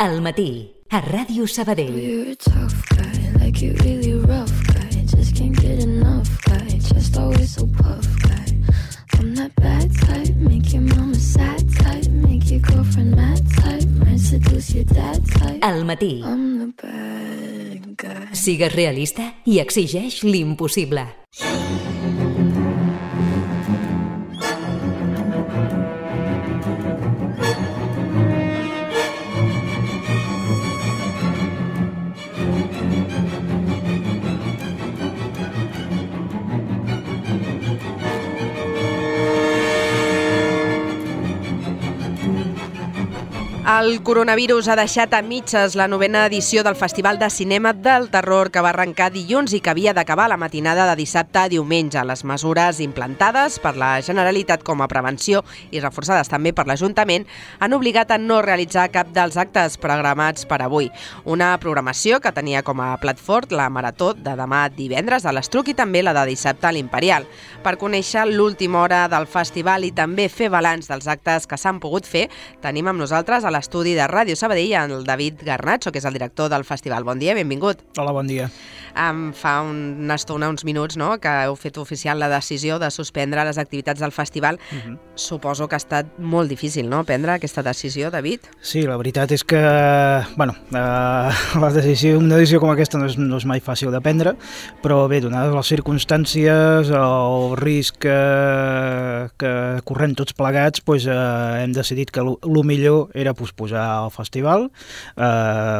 Al matí, a Ràdio Sabadell. You're a tough guy, like you really rough guy. Just can't get enough guy, just always so puff guy. I'm that bad type, make your mama sad type, make your girlfriend mad type, might seduce your dad type. Al matí. I'm the bad guy. Sigues realista i exigeix l'impossible. El coronavirus ha deixat a mitges la 9ª edició del Festival de Cinema del Terror, que va arrencar dilluns i que havia d'acabar la matinada de dissabte a diumenge. Les mesures implantades per la Generalitat com a prevenció i reforçades també per l'Ajuntament han obligat a no realitzar cap dels actes programats per avui. Una programació que tenia com a plat fort la marató de demà divendres a l'Estruc i també la de dissabte a l'Imperial. Per conèixer l'última hora del festival i també fer balanç dels actes que s'han pogut fer, tenim amb nosaltres a l'estudi de Ràdio Sabadell el David Garnacho, que és el director del festival. Bon dia, benvingut. Hola, bon dia. Fa una estona, uns minuts, no?, que heu fet oficial la decisió de suspendre les activitats del festival. Suposo que ha estat molt difícil, no?, prendre aquesta decisió, David? Sí, la veritat és que, una decisió com aquesta no és mai fàcil de prendre, però bé, donades les circumstàncies, el risc que correm tots plegats, hem decidit que el millor era posposar el festival,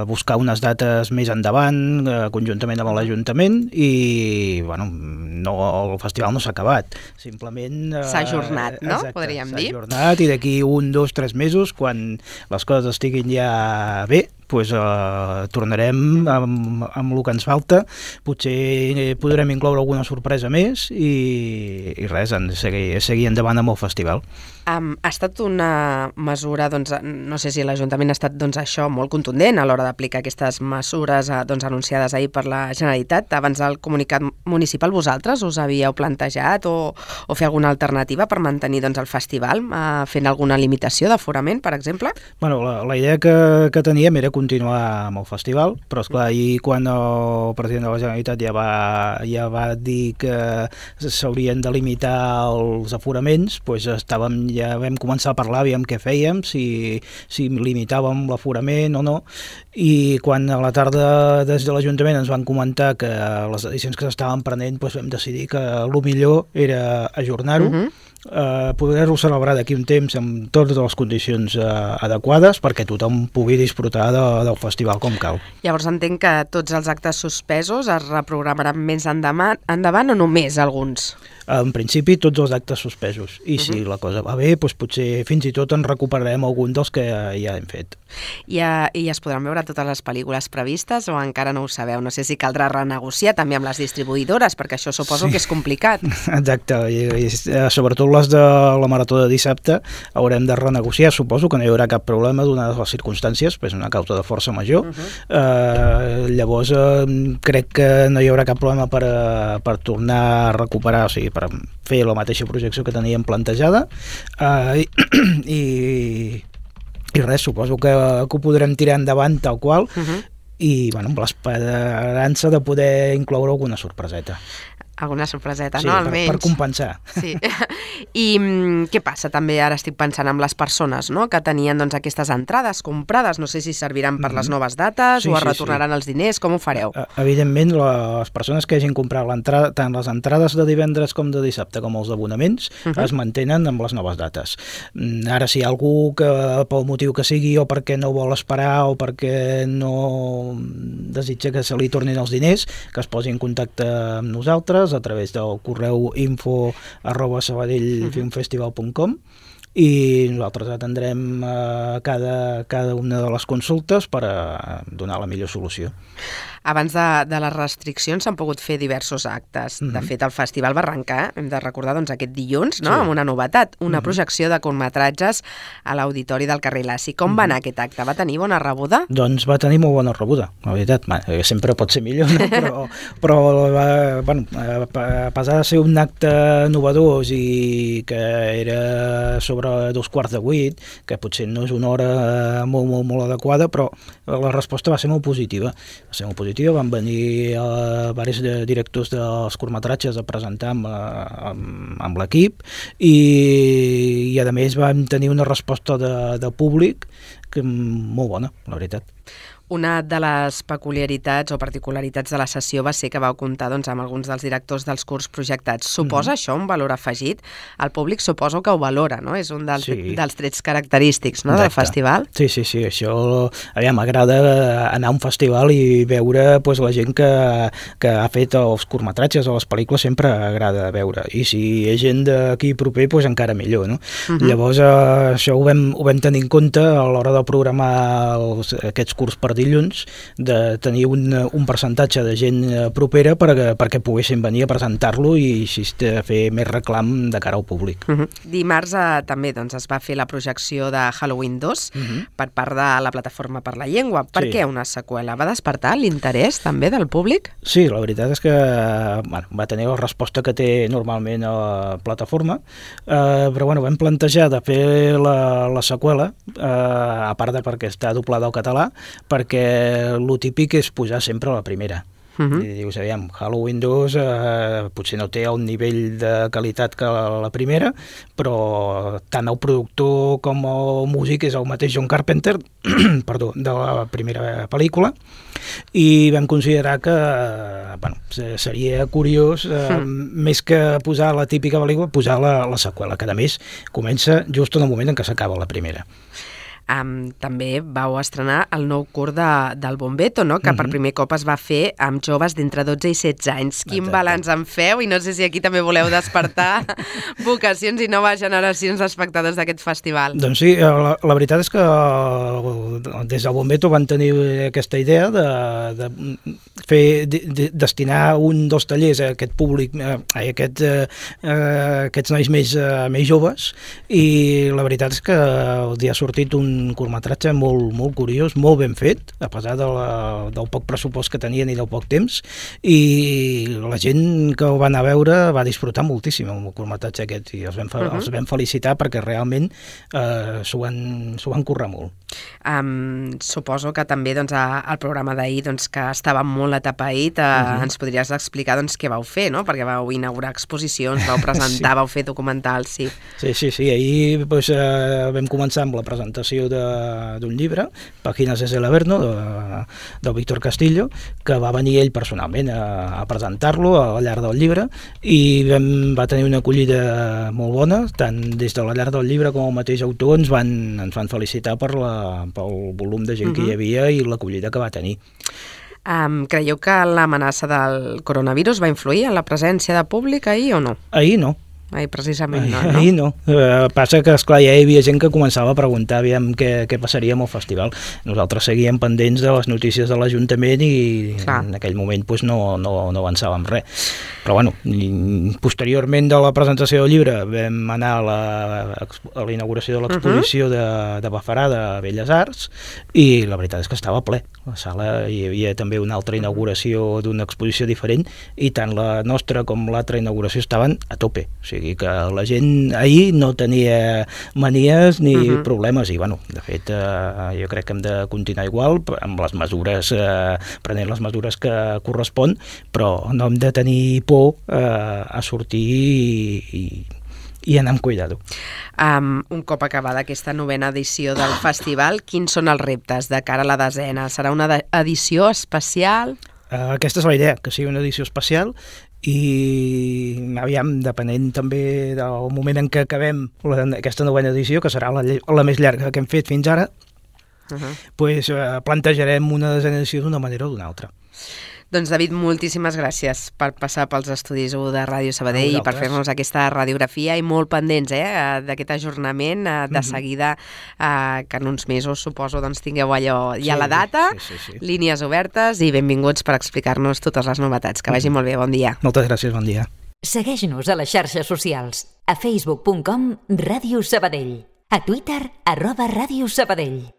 buscar unes dates més endavant, conjuntament amb l'Ajuntament, i el festival no s'ha acabat, simplement... S'ha ajornat, no? Exacte, podríem dir. S'ha ajornat, i d'aquí 1, 2, 3 mesos, quan les coses estiguin ja bé, tornarem amb el que ens falta. Potser podrem incloure alguna sorpresa més i res, seguir endavant amb el festival. Ha estat una mesura, no sé si l'Ajuntament ha estat això molt contundent a l'hora d'aplicar aquestes mesures anunciades ahir per la Generalitat. Abans del comunicat municipal, vosaltres us havíeu plantejat o fer alguna alternativa per mantenir el festival, fent alguna limitació d'aforament, per exemple? La idea que teníem era continuar amb el festival, però esclar, ahir quan el president de la Generalitat ja va dir que s'haurien de limitar els aforaments, ja vam començar a parlar, aviam què fèiem, si limitàvem l'aforament o no, i quan a la tarda des de l'Ajuntament ens van comentar que les decisions que s'estaven prenent, vam decidir que el millor era ajornar-ho, poder-ho celebrar d'aquí un temps amb totes les condicions adequades perquè tothom pugui disfrutar del festival com cal. Llavors entenc que tots els actes suspesos es reprogramaran més endavant o només alguns? En principi tots els actes suspesos, i si la cosa va bé, potser fins i tot en recuperarem algun dels que ja hem fet. I es podran veure totes les pel·lícules previstes o encara no ho sabeu? No sé si caldrà renegociar també amb les distribuïdores, perquè això suposo que és complicat. Exacte, i sobretot les de la marató de dissabte haurem de renegociar. Suposo que no hi haurà cap problema donades les circumstàncies, és una causa de força major. Llavors crec que no hi haurà cap problema per tornar a recuperar, o sigui, per fer la mateixa projecció que teníem plantejada, i res, suposo que ho podrem tirar endavant tal qual, i amb l'esperança de poder incloure alguna sorpreseta. Alguna sorpreseta, sí, no? Almenys. Per compensar. Sí. I què passa també, ara estic pensant amb les persones, no?, que tenien aquestes entrades comprades, no sé si serviran per les noves dates o es retornaran els diners, com ho fareu? Evidentment, les persones que hagin comprat tant les entrades de divendres com de dissabte com els abonaments es mantenen amb les noves dates. Ara, si hi ha algú que pel motiu que sigui o perquè no vol esperar o perquè no desitja que se li tornin els diners, que es posi en contacte amb nosaltres a través del correu info@sabadellfilmfestival.com, i nosaltres atendrem cada una de les consultes per donar la millor solució. Abans de les restriccions s'han pogut fer diversos actes. De fet, el festival va arrencar, hem de recordar, aquest dilluns, no?, amb una novetat, una projecció de curtmetratges a l'Auditori del carrer Laci. Com va anar aquest acte? Va tenir bona rebuda? Doncs va tenir molt bona rebuda, la veritat. Sempre pot ser millor, no? però a pesar de ser un acte novedós i que era sobre sobre 7:15, que potser no és una hora molt adequada, però la resposta va ser molt positiva. Van venir diversos directors dels curtmetratges a presentar amb l'equip i a més vam tenir una resposta de públic molt bona, la veritat. Una de les peculiaritats o particularitats de la sessió va ser que vau comptar amb alguns dels directors dels curts projectats. Suposa això un valor afegit? El públic suposo que ho valora, no? És un dels trets característics, no, del festival? Sí, això... M'agrada anar a un festival i veure la gent que ha fet els curtmetratges o les pel·lícules, sempre agrada veure. I si hi ha gent d'aquí proper, encara millor, no? Llavors, això ho vam tenir en compte a l'hora de programar aquests curts per dilluns, de tenir un percentatge de gent propera perquè poguessin venir a presentar-lo i així fer més reclam de cara al públic. Dimarts també es va fer la projecció de Halloween 2 per part de la Plataforma per la Llengua. Per què una seqüela? Va despertar l'interès també del públic? Sí, la veritat és que va tenir la resposta que té normalment a la plataforma, però vam plantejar de fer la seqüela, a part de perquè està doblada al català, perquè el típic és posar sempre la primera. Dius, Halloween 2 potser no té el nivell de qualitat que la primera, però tant el productor com el músic és el mateix John Carpenter de la primera pel·lícula, i vam considerar que seria curiós, més que posar la típica pel·lícula, posar la seqüela, que a més comença just en el moment en què s'acaba la primera. També vau estrenar el nou curt del Bombeto, no? Que per primer cop es va fer amb joves d'entre 12 i 16 anys. Quin balanç en feu? I no sé si aquí també voleu despertar vocacions i noves generacions d'espectadors d'aquest festival. Doncs sí, la veritat és que des del Bombeto van tenir aquesta idea de destinar 1 o 2 tallers a aquest públic, a aquests nois més joves, i la veritat és que els ha sortit un curtmetratge molt curiós, molt ben fet, a pesar del poc pressupost que tenien i del poc temps, i la gent que ho va anar a veure va disfrutar moltíssim amb el curtmetratge aquest, i els vam felicitar perquè realment s'ho van currar molt. Suposo que també el programa d'ahir, que estava molt atapeït, ens podries explicar què vau fer, no? Perquè vau inaugurar exposicions, vau presentar, vau fer documentals, sí. Sí, ahir vam començar amb la presentació d'un llibre, Páginas desde el Averno, del Víctor Castillo, que va venir ell personalment a presentar-lo al llarg del llibre, i va tenir una acollida molt bona, tant des de la llarg del llibre com el mateix autor ens van felicitar pel volum de gent que hi havia i l'acollida que va tenir. Creieu que l'amenaça del coronavirus va influir en la presència de públic ahir o no? Ahir no. Precisament no. Ahir no. Passa que, esclar, ja hi havia gent que començava a preguntar què passaria amb el festival. Nosaltres seguíem pendents de les notícies de l'Ajuntament i en aquell moment no avançàvem res. Però bueno, posteriorment de la presentació del llibre vam anar a la inauguració de l'exposició de Bafarà de Belles Arts, i la veritat és que estava ple. A la sala hi havia també una altra inauguració d'una exposició diferent, i tant la nostra com l'altra inauguració estaven a tope. O sigui que la gent ahir no tenia manies ni problemes, i bueno, de fet jo crec que hem de continuar igual amb les mesures, prenent les mesures que correspon, però no hem de tenir por a sortir i anar amb cuidado. Un cop acabada aquesta 9ª edició del festival, quins són els reptes de cara a la 10ª? Serà una edició especial? Aquesta és la idea, que sigui una edició especial, i depenent també del moment en què acabem aquesta 9ª edició, que serà la més llarga que hem fet fins ara, plantejarem una 10ª edició d'una manera o d'una altra. Doncs, David, moltíssimes gràcies per passar pels estudis 1 de Ràdio Sabadell i per fer-nos aquesta radiografia, i molt pendents d'aquest ajornament, de seguida, que en uns mesos, suposo, tingueu allò ja la data, línies obertes, i benvinguts per explicar-nos totes les novetats. Que vagi molt bé, bon dia. Moltes gràcies, bon dia. Segueix-nos a les xarxes socials, a facebook.com/Ràdio Sabadell, a Twitter @Ràdio Sabadell.